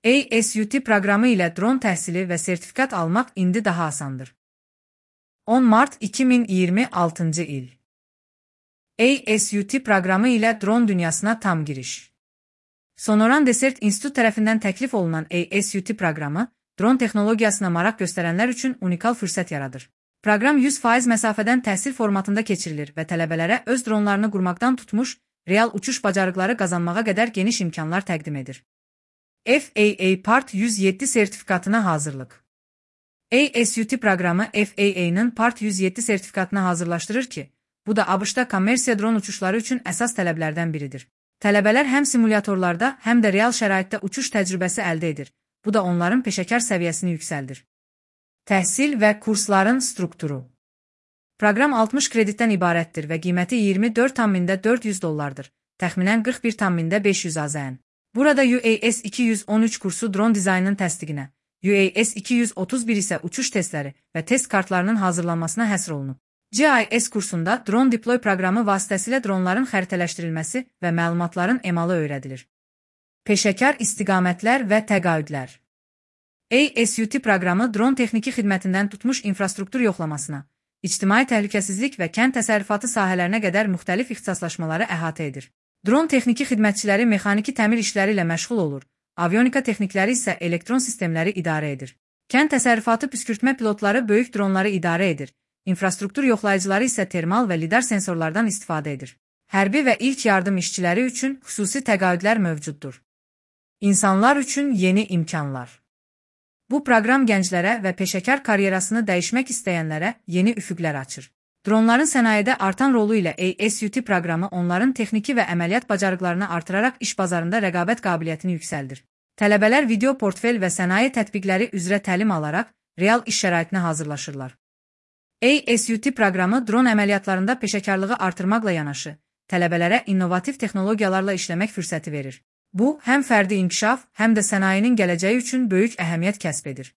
ASUT proqramı ilə dron təhsili və sertifikat almaq indi daha asandır. 10 mart 2026 il. ASUT proqramı ilə dron dünyasına tam giriş. Sonoran Desert İnstitut tərəfindən təklif olunan ASUT proqramı, dron texnologiyasına maraq göstərənlər üçün unikal fürsət yaradır. Proqram 100% məsafədən təhsil formatında keçirilir və tələbələrə öz dronlarını qurmaqdan tutmuş, real uçuş bacarıqları qazanmağa qədər geniş imkanlar təqdim edir. FAA Part 107 sertifikatına hazırlıq. ASUT proqramı FAA-nın Part 107 sertifikatına hazırlaşdırır ki, bu da ABŞ-da kommersiya dron uçuşları üçün əsas tələblərdən biridir. Tələbələr həm simulyatorlarda, həm də real şəraitdə uçuş təcrübəsi əldə edir. Bu da onların peşəkar səviyyəsini yüksəldir. Təhsil və kursların strukturu. Proqram 60 kreditdən ibarətdir və qiyməti $24,400, təxminən $41,500 AZN. Burada UAS 213 kursu dron dizaynının təsdiqinə, UAS 231 isə uçuş testləri və test kartlarının hazırlanmasına həsr olunub. GIS kursunda Drone Deploy proqramı vasitəsilə dronların xəritələşdirilməsi və məlumatların emalı öyrədilir. Peşəkar istiqamətlər və təqaüdlər. ASUT proqramı dron texniki xidmətindən tutmuş infrastruktur yoxlamasına, ictimai təhlükəsizlik və kənd təsərrüfatı sahələrinə qədər müxtəlif ixtisaslaşmaları əhatə edir. Dron texniki xidmətçiləri mexaniki təmir işləri ilə məşğul olur, avionika texnikləri isə elektron sistemləri idarə edir. Kənd təsərrüfatı püskürtmə pilotları böyük dronları idarə edir, infrastruktur yoxlayıcıları isə termal və lidar sensorlardan istifadə edir. Hərbi və ilk yardım işçiləri üçün xüsusi təqaüdlər mövcuddur. İnsanlar üçün yeni imkanlar. Bu proqram gənclərə və peşəkar karyerasını dəyişmək istəyənlərə yeni üfüqlər açır. Dronların sənayedə artan rolu ilə ASUT proqramı onların texniki və əməliyyat bacarıqlarını artıraraq iş bazarında rəqabət qabiliyyətini yüksəldir. Tələbələr video portfel və sənaye tətbiqləri üzrə təlim alaraq real iş şəraitinə hazırlaşırlar. ASUT proqramı dron əməliyyatlarında peşəkarlığı artırmaqla yanaşı, tələbələrə innovativ texnologiyalarla işləmək fürsəti verir. Bu, həm fərdi inkişaf, həm də sənayenin gələcəyi üçün böyük əhəmiyyət kəsb edir.